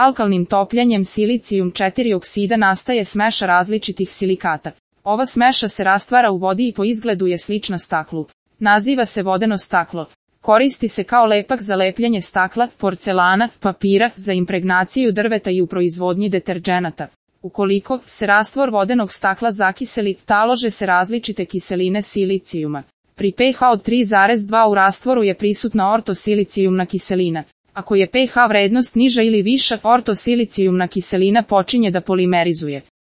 Alkalnim topljenjem silicijum 4 oksida nastaje smeša različitih silikata. Ova smeša se rastvara u vodi i po izgledu je slična staklu. Naziva se vodeno staklo. Koristi se kao lepak za lepljenje stakla, porcelana, papira, za impregnaciju drveta i u proizvodnji deterdženata. Ukoliko se rastvor vodenog stakla zakiseli, talože se različite kiseline silicijuma. Pri pH od 3,2 u rastvoru je prisutna ortosilicijumna kiselina. Ako je pH vrednost niža ili viša, ortosilicijumna kiselina počinje da polimerizuje.